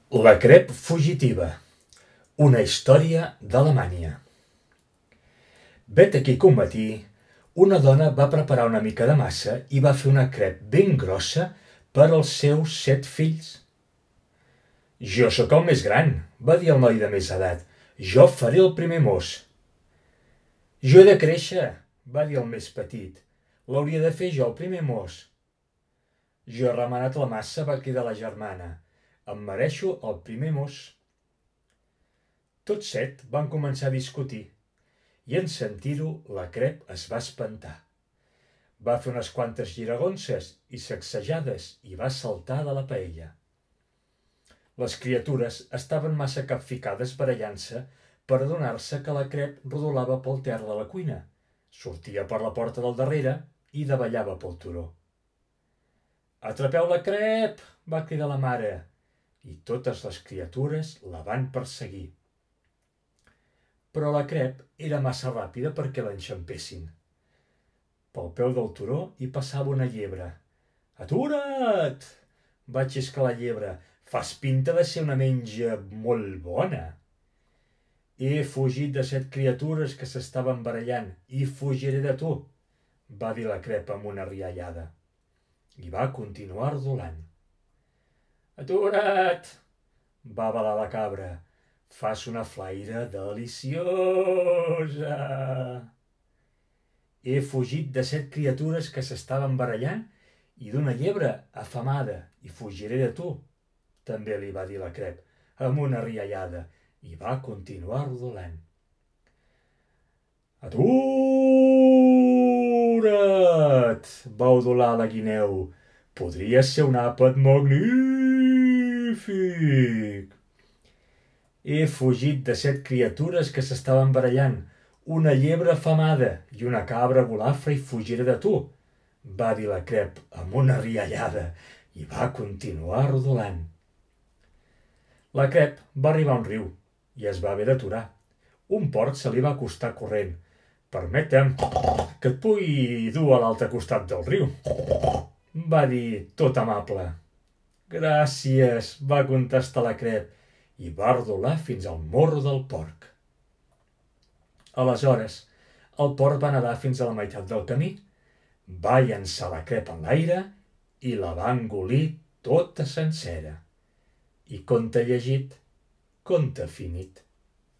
La crep fugitiva. Una història d'Alemanya. Vet aquí que un matí una dona va preparar una mica de massa i va fer una crep ben grossa per als seus 7 fills. «Jo sóc el més gran», va dir el noi de més edat. «Jo faré el primer mos». «Jo he de créixer», va dir el més petit. «L'hauria de fer jo el primer mos». «Jo he remenat la massa», va cridar la germana. «Em mereixo el primer mos». Tots 7 van començar a discutir i en sentir-ho la crep es va espantar. Va fer unes quantes giragonses i sacsejades i va saltar de la paella. Les criatures estaven massa capficades barallant-se per adonar-se que la crep rodolava pel terra de la cuina, sortia per la porta del darrere i davallava pel turó. «Atrapeu la crep!», va cridar la mare, i totes les criatures la van perseguir. Però la crep era massa ràpida perquè l'enxampessin. Pel peu del turó hi passava una llebre. «Atura't!», va xiscar la llebre. «Fas pinta de ser una menja molt bona». «He fugit de 7 criatures que s'estaven barallant i fugiré de tu», va dir la crep amb una riallada. I va continuar rodolant. «Atura't!», va balar la cabra. «Fas una flaire deliciosa». «He fugit de 7 criatures que s'estaven barallant i d'una llebre afamada i fugiré de tu», també li va dir la crep, amb una riallada, i va continuar rodolant. «Atura't!», va udolar la guineu. «Podria ser un àpat magnífic». «He fugit de 7 criatures que s'estaven barallant, una llebre afamada i una cabra golafra i fugiré de tu», va dir la crep amb una riallada, i va continuar rodolant. La crep va arribar a un riu i es va haver d'aturar. Un porc se li va acostar corrent. «Permetem que et pugui dur a l'altre costat del riu», va dir tot amable. «Gràcies», va contestar la crep, i va rodolar fins al morro del porc. Aleshores, el porc va nedar fins a la meitat del camí, va llançar la crep en l'aire i la va engolir tota sencera. I conte llegit, conte finit.